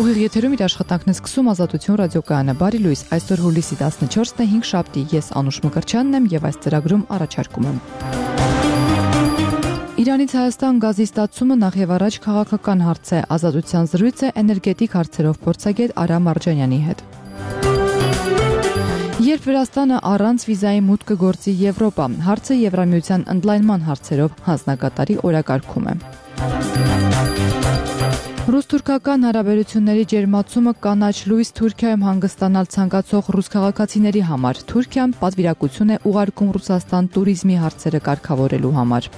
Ուղիղ եթերում իր աշխատանքն է սկսում Ազատություն ռադիոկայանը։ Բարի լույս, այսօր հուլիսի 14-ն է, 5 շաբթի, ես Անուշ Մկրտչյանն եմ եւ այս ծրագրում առաջարկում եմ։ Իրանից Հայաստան գազի ստացումը նախ եւ առաջ քաղաքական հարց է, Ազատության զրույց է էներգետիկ հարցերով փորձագետ Արա Մարջանյանի հետ։ Երբ Վրաստանը առանց վիզայի մուտք կգործի Եվրոպա, հարցը Եվրամիության ընդլայնման հարցերով հանձնակատարի օրակարգում է։ Ռուս-թուրքական հարաբերությունների ջերմացումը կանաչ լույս Թուրքիայում հանգստանալ ցանկացող ռուս քաղաքացիների համար։ Թուրքիան պատվիրակություն է ուղարկում Ռուսաստան տուրիզմի հարցերը կարգավորելու համար։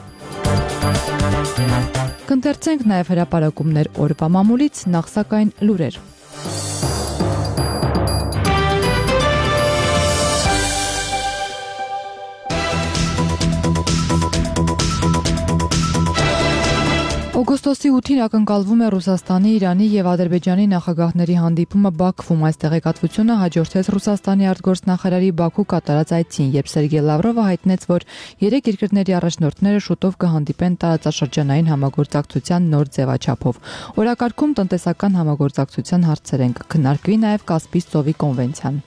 Կընթերցենք նաև հրապարակումներ օրվա մամուլից, նախ սակայն լուրեր։ Օգոստոսի 8-ին ակնկալվում է Ռուսաստանի, Իրանի եւ Ադրբեջանի նախագահների հանդիպումը Բաքվում։ Այս տեղեկատվությունը հաջորդեց Ռուսաստանի արտգործնախարարի Բաքու կատարած այցին, երբ Սերգեյ Լավրովը հայտնեց, որ երեք երկրների առաջնորդները շուտով կհանդիպեն տարածաշրջանային համագործակցության նոր ձևաչափով։ Օրակարգում տնտեսական համագործակցության հարցեր են, կքննարկվի նաեւ Կասպից ծովի կոնվենցիան։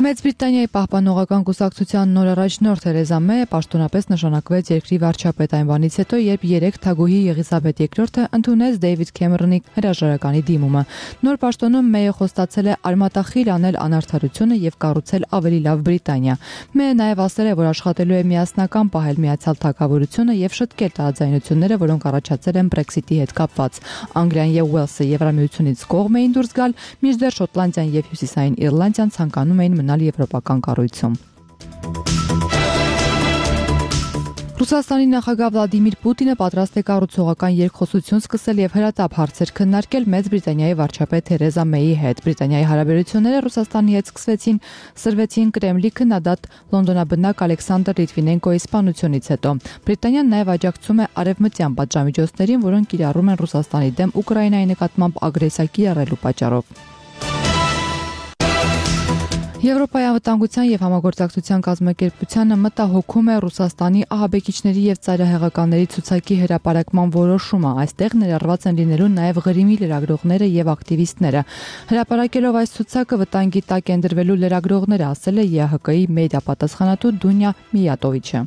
Մեծ Բրիտանիայի պահպանողական կուսակցության նոր առաջնորդ Թերեզա Մեյը պաշտոնապես նշանակվեց երկրի վարչապետ այն բանից հետո, երբ երեք թագուհի Եղիսաբեթ II-ը ընդունեց Դեյվիդ Քեմերոնի հրաժարականի դիմումը։ Նոր պաշտոնում Մեյը խոստացել է արմատախիլ անել անարդարությունը եւ կառուցել ավելի լավ Բրիտանիա։ Մեյը նաեւ ասել է, որ աշխատելու է միասնական պահել Միացյալ Թագավորությունը եւ շտկել տարաձայնությունները, որոնք առաջացել են Brexit-ի հետ կապված։ Անգլիան եւ Ուելսը Եվրամիությունից կողմ էին դուրս գալ, մինչդեռ Շոտլանդիան եւ Հյուսիսային Իռլանդիան ցանկանում էին եվրոպական կառույցում։ Ռուսաստանի նախագահ Վլադիմիր Պուտինը պատրաստ է կառուցողական երկխոսություն սկսել եւ հրատապ հարցեր քննարկել Մեծ Բրիտանիայի վարչապետ Թերեզա Մեյի հետ։ Բրիտանիայի հարաբերությունները Ռուսաստանի հետ սրվեցին Կրեմլի քննադատ լոնդոնաբնակ Ալեքսանդր Լիտվինենկոյի սպանությունից հետո։ Բրիտանիան նաեւ աջակցում է արևմտյան պատժամիջոցներին, որոնք կիրառում են Ռուսաստանի դեմ Ուկրաինայի նկատմամբ ագրեսիա կիրառելու պատճառով։ Եվրոպայի անվտանգության եւ համագործակցության կազմակերպությանը մտահոգում է Ռուսաստանի ահաբեկիչների եւ ծայրահեղականների ցուցակի հրապարակման որոշումը։ Այստեղ ներառված են լինելու նաեւ Ղրիմի լրագրողները եւ ակտիվիստները։ Հրապարակելով այս ցուցակը վտանգի տակ են դրվելու լրագրողները, ասել է ԵԱՀԿ-ի մեդիա պատասխանատու Դունյա Միյատովիչը։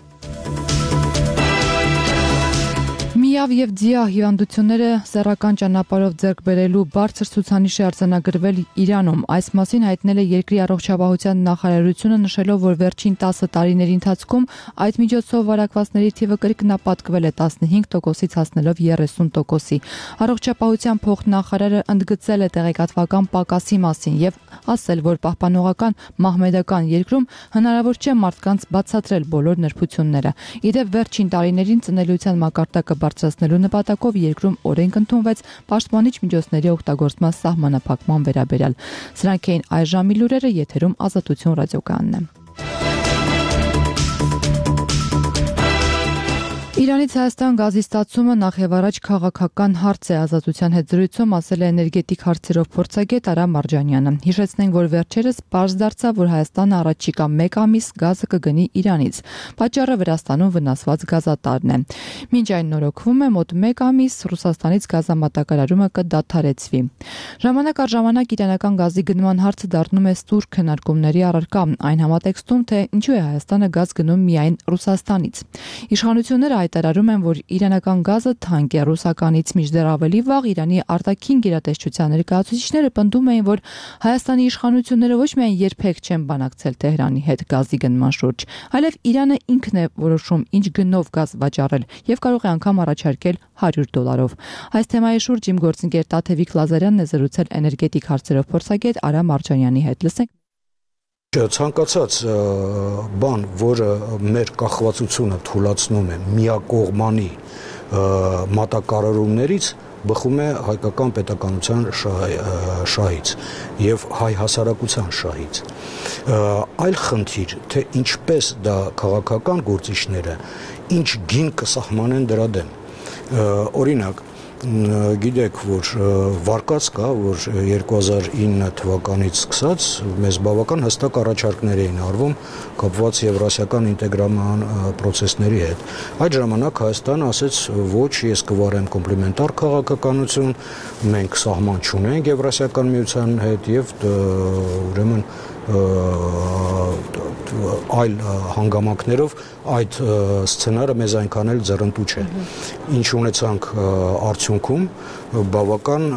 Միավ եւ ձիա հիվանդությունները սեռական ճանապարհով ձեռք բերելու բարձր ցուցանիշ է արձանագրվել Իրանում։ Այս մասին հայտնել է երկրի առողջապահության նախարարությունը, նշելով, որ վերջին 10 տարիների ընթացքում այդ միջոցով վարակվածների թիվը կրկնապատկվել է 15%-ից հասնելով 30%-ի։ Առողջապահության փոխնախարարը ընդգծել է տեղեկատվական պակասի մասին եւ ասել, որ պահպանողական մահմեդական երկրում հնարավոր չէ մարդկանց բացատրել բոլոր նրբությունները։ Իդեպ վերջին տարիներին ծնելիության մակարդակը բարձրացնելու նպատակով երկրում օրենք ընդունվեց պաշտպանիչ միջոցների օգտագործման սահմանափակման վերաբերյալ։ Սրանք էին այս ժամի լուրերը, եթերում Ազատություն ռադիոկայանն է։ Իրանից Հայաստան գազի ստացումը նախ եւ առաջ քաղաքական հարց է, Ազատության հետ զրույցում ասել է էներգետիկ հարցերով փորձագետ Արա Մարջանյանը։ Հիշեցնենք, որ վերջերս պարզ դարձավ, որ Հայաստանը առաջիկա 1 ամիս գազը կգնի Իրանից։ Պատճառը Վրաստանում վնասված գազատարն է։ Մինչ այն նորոգվում է, մոտ 1 ամիս Ռուսաստանից գազամատակարարումը կդադարեցվի։ Ժամանակ առ ժամանակ իրանական գազի գնման հարցը դառնում է ստուր քննարկումների առարկա, այն համատեքստում, թե ինչու է Հայաստանը գազ գնում միայն Ռուսաստանից։ Իշխանությունները հայտարարում են, որ իրանական գազը թանկ է ռուսականից, մինչդեռ ավելի վաղ Իրանի արտաքին գերատեսչության ներկայացուցիչները պնդում էին, որ Հայաստանի իշխանությունները ոչ միայն երբեք չեն բանակցել Թեհրանի հետ գազի գնման շուրջ, այլև Իրանը ինքն է որոշում ինչ գնով գազ վաճառել եւ կարող է անգամ առաջարկել $100։ Այս թեմայի շուրջ իմ գործընկեր Տաթևիկ Լազարյանն է զրուցել էներգետիկ հարցերով փորձագետ Արա Մարջանյանի հետ։ Լսենք։ Ցանկացած բան, որը մեր կախվածությունը թույլատնում է միակողմանի մատակարարումներից, բխում է հայկական պետականության շահից եւ հայ հասարակության շահից։ Այլ խնդիր, թե ինչպես դա քաղաքական գործիչները ինչ գին կսահմանեն դրա դեմ։ Օրինակ, Գիտեք, որ վարկած կա, որ 2009 թվականից սկսած մեզ բավական հստակ առաջարկներ էին արվում կապված եվրասիական ինտեգրման process-ների հետ։ Այդ ժամանակ Հայաստանը ասեց, ոչ, ես կվարեմ կոմպլեմենտար քաղաքականություն, մենք սահման չունենք եվրասիական միության հետ եւ ուրեմն այլ հանգամանքներով այդ սցենարը մեզ այնքան էլ ձեռնտու չէ։ Ինչ ունեցանք արդյունքում բավական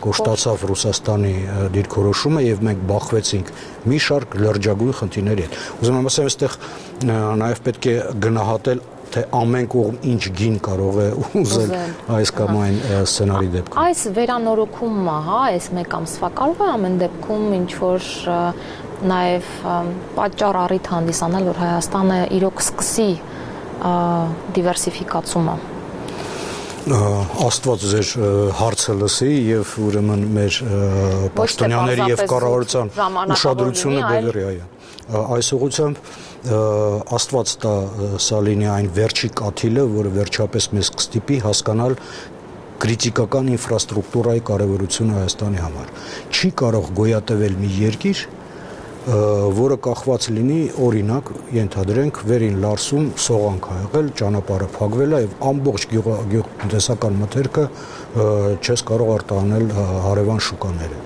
կոշտացավ Ռուսաստանի դիրքորոշումը եւ մենք բախվեցինք մի շարք լրջագույն խնդիրների հետ։ Ուզում եմ ասեմ, այստեղ նաեւ պետք է գնահատել թե ամեն կողմ ինչ գին կարող է ուզել այս կամ այն սցենարի դեպքում։ Այս վերանորոգումը, այս մեկ ամսվա կարող է ամեն դեպքում ինչ որ նաև պատճառ առիթ հանդիսանալ, որ Հայաստանը իրոք սկսի դիվերսիֆիկացումը։ Աստված ձեր հարցը լսի եւ ուրեմն մեր պաշտոնյաների եւ կառավարության ուշադրությունը բերի այո։ Այս ուղղությամբ Աստված տա սա լինի այն վերջի կաթիլը, որը վերջապես մեզ կստիպի հասկանալ կրիտիկական ինֆրաստրուկտուրայի կարևորությունը Հայաստանի համար։ Չի կարող գոյատևել մի երկիր, որը կախված լինի, օրինակ, ենթադրենք, վերին Լարսում սողանք ա եղել, ճանապարհը փակվել է եւ ամբողջ գյուղտնտեսական մթերքը չես կարող արտահանել հարևան շուկաները։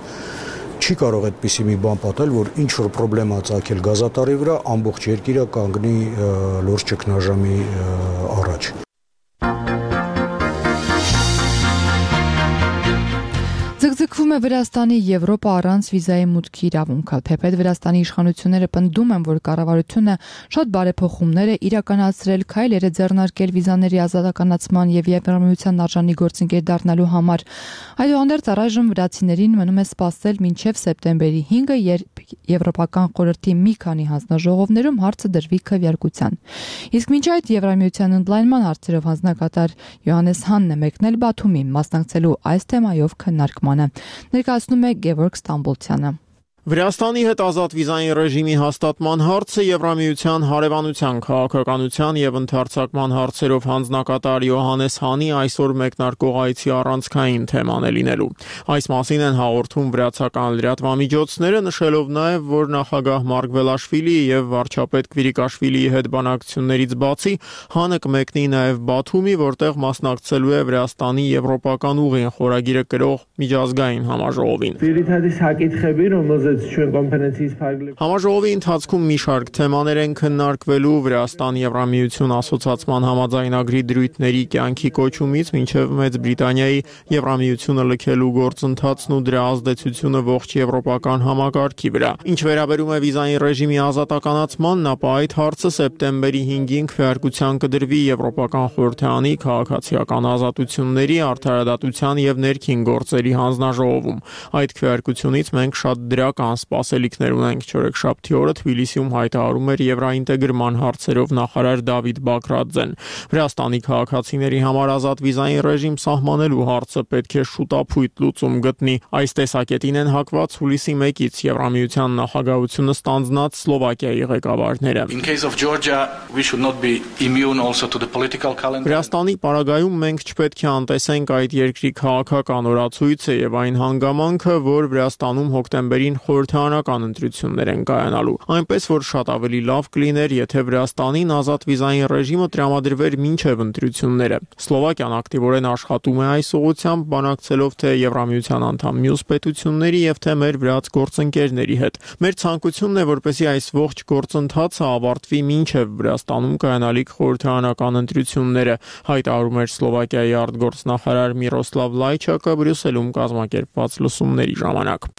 Չի կարող այդպիսի մի բան պատել, որ ինչ որ պրոբլեմա ծագել գազատարի վրա, ամբողջ երկիրը կանգնի լուրջ ճգնաժամի առաջ։ Ձգձգվում է Վրաստանի Եվրոպա առանց վիզայի մուտքի իրավունքը, թեպետ Վրաստանի իշխանությունները պնդում են, որ կառավարությունը շատ բարեփոխումներ է իրականացրել, քայլեր է ձեռնարկել վիզաների ազատականացման եւ Եվրամիության արժանի գործընկեր դառնալու համար։ Այդուհանդերձ առայժմ վրացիներին մնում է սպասել մինչև սեպտեմբերի 5-ը, երբ Եվրոպական խորհրդի մի քանի հանձնաժողովներում հարցը դրվի քվեարկության։ Իսկ մինչ այդ Եվրամիության ընդլայնման հարցերով հանձնակատար Յոհաննես Հանն է մեկնել Բաթումի, մասնակցելու այս թեմայով քննարկմանը։ Ներկայացնում է Գևորգ Ստամբոլցյանը։ Վրաստանի հետ ազատ վիզային ռեժիմի հաստատման հարցը Եվրամիության հարևանության, քաղաքականության եւ ընդարձակման հարցերով հանձնակատար Յոհաննես Հանի այսօր մեկնարկող այցի առանցքային թեման է լինելու։ Այս մասին են հաղորդում վրացական լրատվամիջոցները, նշելով նաեւ, որ նախագահ Մարգվելաշվիլիի եւ վարչապետ Կվիրիկաշվիլիի հետ բանակցություններից բացի Հանը կմեկնի նաեւ Բաթումի, որտեղ մասնակցելու է Վրաստանի եվրոպական ուղին խորագիրը կրող միջազգային համաժողովին։ Համաժողովի ընթացքում մի շարք թեմաներ են քննարկվելու Վրաստան-Եվրամիություն ասոցացման համաձայնագրի դրույթների կյանքի կոչումից մինչև Մեծ Բրիտանիայի Եվրամիությունը լքելու գործընթացն ու դրա ազդեցությունը ողջ եվրոպական համակարգի վրա։ Ինչ վերաբերում է վիզային ռեժիմի ազատականացմանն, ապա այդ հարցը սեպտեմբերի 5-ին քվեարկության կդրվի Եվրոպական խորհրդարանի քաղաքացիական ազատությունների, արդարադատության եւ ներքին գործերի հանձնաժողովում։ Այդ քվեարկությունից մենք շատ դրական սպասելիքներ ունենք։ Չորեքշաբթի օրը Թբիլիսիում հայտարարում էր եվրաինտեգրման հարցերով նախարար Դավիթ Բաքրաձեն։ Վրաստանի քաղաքացիների համար ազատ վիզային ռեժիմ սահմանելու հարցը պետք է շուտապույտ լուծում գտնի։ Այս տեսակետին են հակված հուլիսի 1-ից Եվրամիության նախագահությունը ստանձնած Սլովակիայի ղեկավարները։ Վրաստանի պարագայում մենք չպետք է անտեսենք այդ երկրի քաղաքական օրացույցը եւ այն հանգամանքը, որ Վրաստանում հոկտեմբերին խորհրդարանական ընտրություններ են կայանալու։ Այնպես որ շատ ավելի լավ կլիներ, եթե Վրաստանին ազատ վիզային ռեժիմը տրամադրվեր մինչև ընտրությունները։ Սլովակիան ակտիվորեն աշխատում է այս ուղղությամբ, բանակցելով թե Եվրամիության անդամ մյուս պետությունների եւ թե մեր վրաց գործընկերների հետ։ Մեր ցանկությունն է, որպեսզի այս ողջ գործընթացը ավարտվի մինչև Վրաստանում կայանալիք խորհրդարանական ընտրությունները, հայտարարում էր Սլովակիայի արտգործնախարար Միրոսլավ Լայչակը Բրյուսելում կազմակերպված լսումների ժամանակ։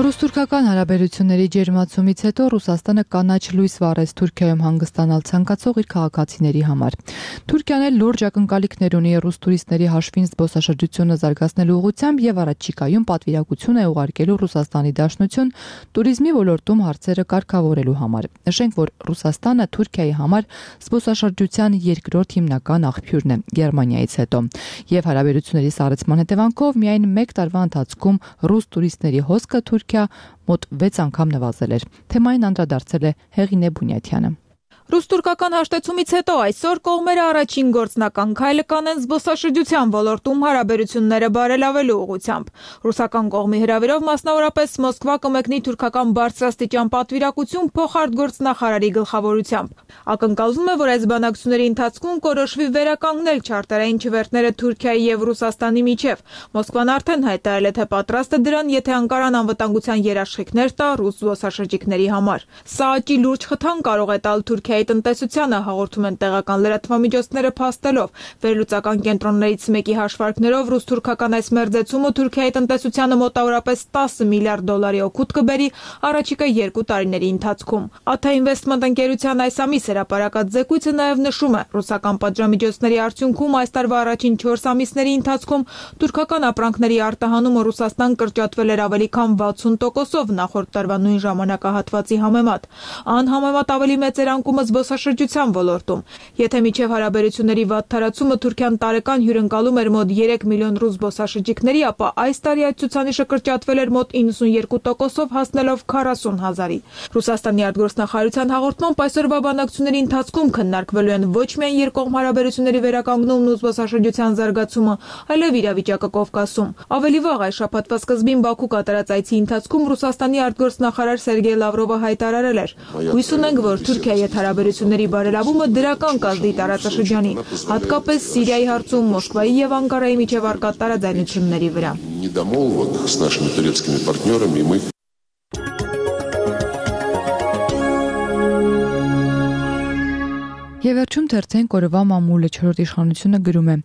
Ռուս-թուրքական հարաբերությունների ջերմացումից հետո Ռուսաստանը կանաչ լույս վառեց Թուրքիայում հանգստանալ ցանկացող իր քաղաքացիների համար։ Թուրքիան էլ լուրջ ակնկալիքներ ունի ռուս տուրիստների հաշվին զբոսաշրջությունը զարգացնելու ուղղությամբ եւ առաջիկայում պատվիրակություն է ուղարկելու Ռուսաստանի Դաշնություն туриզմի ոլորտում հարցերը կարգավորելու համար։ Նշենք, որ Ռուսաստանը Թուրքիայի համար զբոսաշրջության երկրորդ հիմնական աղբյուրն է Գերմանիայից հետո։ Եվ հարաբերությունների սառեցման հետևանքով միայն 1 տարվա ընթացքում ռուս տուրիստների հոսքը Թուրքիա վրա մոտ 6 անգամ նվազել էր։ Թեմային անդրադարձել է Հեղինե Բունյաթյանը։ Ռուս-թուրքական հաշտեցումից հետո այսօր կողմերը առաջին գործնական քայլը կանեն զբոսաշրջության ոլորտում հարաբերությունները բարելավելու ուղղությամբ։ Ռուսական կողմի հրավերով մասնավորապես Մոսկվա կմեկնի թուրքական բարձրաստիճան պատվիրակություն փոխարտգործնախարարի գլխավորությամբ։ Ակնկալվում է, որ այս բանակցությունների ընթացքում կորոշվի վերականգնել չարտարային չվերթները Թուրքիայի եւ Ռուսաստանի միջև։ Մոսկվան արդեն հայտարարել է, թե պատրաստ է դրան, եթե Անկարան անվտանգության երաշխիքներ տա ռուս զբոսաշրջիկների համար։ Սա աճի լուրջ խթան կարող է տալ Թուրքիայի տնտեսությանը, հաղորդում են տեղական լրատվամիջոցները փաստելով։ Վերլուծական կենտրոններից մեկի հաշվարկներով ռուս-թուրքական այս մերձեցումը Թուրքիայի տնտեսությանը մոտավորապես 10 միլիարդ դոլարի օգուտ կբերի առաջիկա 2 տարիների ընթացքում։ Աթա Ինվեստմենտ ընկերության այս ամիս հրապարակած զեկույցը նաև նշում է, ռուսական պատժամիջոցների արդյունքում այս տարվա առաջին 4 ամիսների ընթացքում թուրքական ապրանքների արտահանումը Ռուսաստան կրճատվել էր ավելի քան 60%-ով նախորդ տարվա նույն ժամանակահատվածի համեմատ։ Անհամեմատ ավելի մեծ էր անկումը զբոսաշրջության ոլորտում։ Եթե միջև հարաբերությունների վատ թարացումը Թուրքիան տարեկան հյուրընկալում էր մոտ 3 միլիոն ռուս զբոսաշրջիկների, ապա այս տարի այդ ցուցանիշը կրճատվել էր մոտ 92%-ով հասնելով 40,000-ի։ Ռուսաստանի արտգործնախարարության հաղորդմամբ այսօրվա բանակցությունների ընթացքում քննարկվելու են ոչ միայն երկկողմ հարաբերությունների վերականգնումն ու զբոսաշրջության զարգացումը, այլև իրավիճակը Կովկասում։ Ավելի վաղ այս շաբաթվա սկզբին Բաքու կատարած այցի ընթացքում Ռուսաստանի արտգործնախարար Սերգեյ Լավրովը հայտարարել էր. «Հույս ունենք, որ Թուրքիայի հետ հարաբերությունների բարելավումը դրական կազդի տարածաշրջանի, հատկապես Սիրիայի հարցում Մոսկվայի եւ Անկարայի միջև առկա տարաձայնությունների վրա»։ Եվ վերջում թերթեն կորվա մամուլը 4-րդ իշխանությունը գրում է.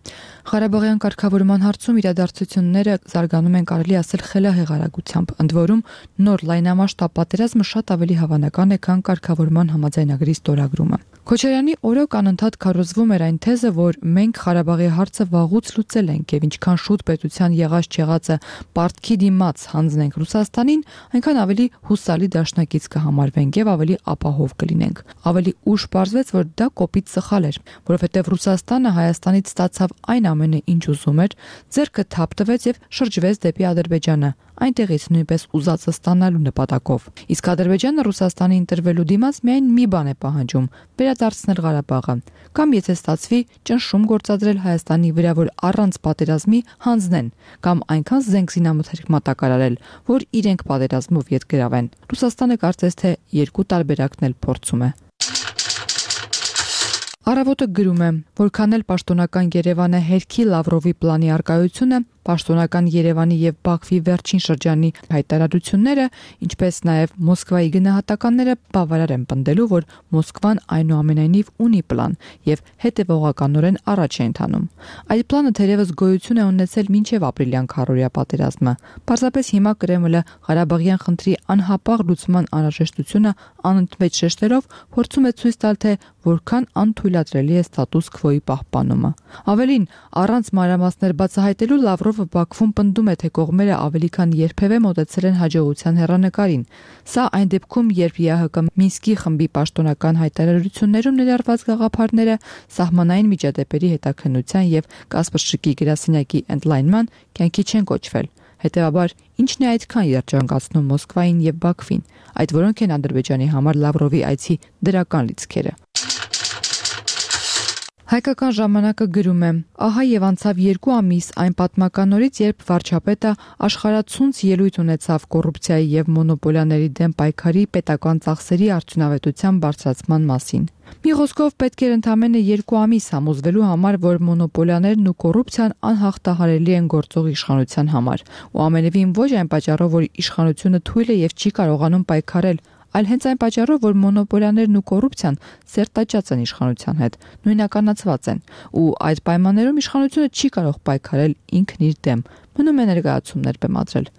Ղարաբաղյան կարգավորման հարցում իրադարձությունները զարգանում են կարելի ասել խելահեղարագությամբ, ընդ որում նոր լայնամասշտաբ պատերազմը շատ ավելի հավանական է, քան կարգավորման համաձայնագրի ստորագրումը։ Քոչարյանի օրոք անընդհատ քարոզվում էր այն թեզը, որ մենք Ղարաբաղի հարցը վաղուց լուծել ենք եւ ինչքան շուտ պետության եղած-չեղածը պարտքի դիմաց հանձնենք Ռուսաստանին, այնքան ավելի հուսալի դաշնակից կհամարվենք եւ ավելի ապահով կլինենք։ Ավելի ուշ պարզվեց, որ դա կոպիտ սխալ էր, որովհետեւ Ռուսաստանը Հայաստանից ստացավ այն ամենը, ինչ ուզում էր, ձեռքը թափ տվեց եւ շրջվեց դեպի Ադրբեջանը, այնտեղից նույնպես ուզածը ստանալու նպատակով։ Իսկ Ադրբեջանը Ռուսաստանի ընտրվելու դիմաց միայն մի բան է պահանջում՝ վերադարձնել Ղարաբաղը, կամ եթե ստացվի, ճնշում գործադրել Հայաստանի վրա, որ առանց պատերազմի հանձնեն, կամ այնքան զենք զինամթերք մատակարարել, որ իրենք պատերազմով ետ գրավեն։ Ռուսաստանը կարծես թե երկու տարբերակն էլ փորձում է։ Առավոտը գրում է, որքան էլ պաշտոնական Երևանը հերքի Լավրովի պլանի արկայությունը, պաշտոնական Երևանի եւ Բաքվի վերջին շրջանի հայտարարությունները, ինչպես նաեւ Մոսկվայի գնահատականները բավարար են պնդելու, որ Մոսկվան այնուամենայնիվ ունի պլան եւ հետեւողականորեն առաջ է ընթանում։ Այդ պլանը թերևս գոյություն է ունեցել մինչեւ ապրիլյան քարորիա պատերազմը։ Պարզապես հիմա Կրեմլը Ղարաբաղյան խնդրի անհապաղ լուծման անհրաժեշտությունը անընդմեջ շեշտերով փորձում է ցույց տալ, թե որքան անթույլատրելի է ստատուս քվոյի պահպանումը։ Ավելին, առանց մանրամասներ բացահայտելու Լավրովը Բաքվում պնդում է, թե կողմերը ավելի քան երբևէ մոտեցել են հաջողության հեռանկարին։ Սա այն դեպքում, երբ ԵԱՀԿ Մինսկի խմբի պաշտոնական հայտարարություններում ներառված գաղափարները սահմանային միջադեպերի հետաքննության եւ Կասպրշկի գրասենյակի ընդլայնման կյանքի չեն կոչվել։ Հետևաբար, ինչն է այդքան երջանկացնում Մոսկվային եւ Բաքվին, այդ որոնք են Ադրբեջանի համար Լավրովի այցի դրական լիցքերը։ Հայկական ժամանակը գրում է. ահա եւ անցավ 2 ամիս այն պատմական օրից, երբ վարչապետը աշխարհացունց ելույթ ունեցավ կոռուպցիայի եւ մոնոպոլիաների դեմ պայքարի պետական ծախսերի արդյունավետության բարձրացման մասին։ Մի խոսքով պետք էր ընդամենը 2 ամիս համոզվելու համար, որ մոնոպոլիաներն ու կոռուպցիան անհաղթահարելի են գործող իշխանության համար, ու ամենևին ոչ այն պատճառով, որ իշխանությունը թույլ է եւ չի կարողանում պայքարել, այլ հենց այն պատճառով, որ մոնոպոլիաներն ու կոռուպցիան սերտաճած են իշխանության հետ, նույնականացված են, ու այդ պայմաններում իշխանությունը չի կարող պայքարել ինքն իր դեմ, մնում է ներկայացումներ բեմադրել։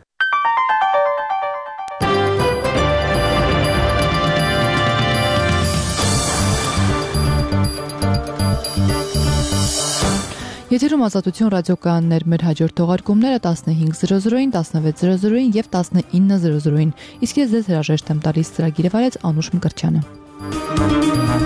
Եթերում Ազատություն ռադիոկայաններ, մեր հաջորդ թողարկումները 15:00-ին, 16:00-ին եւ 19:00-ին։ Իսկ ես ձեզ հրաժեշտ եմ տալիս, ծրագիրը վարեց Անուշ Մկրտչյանը։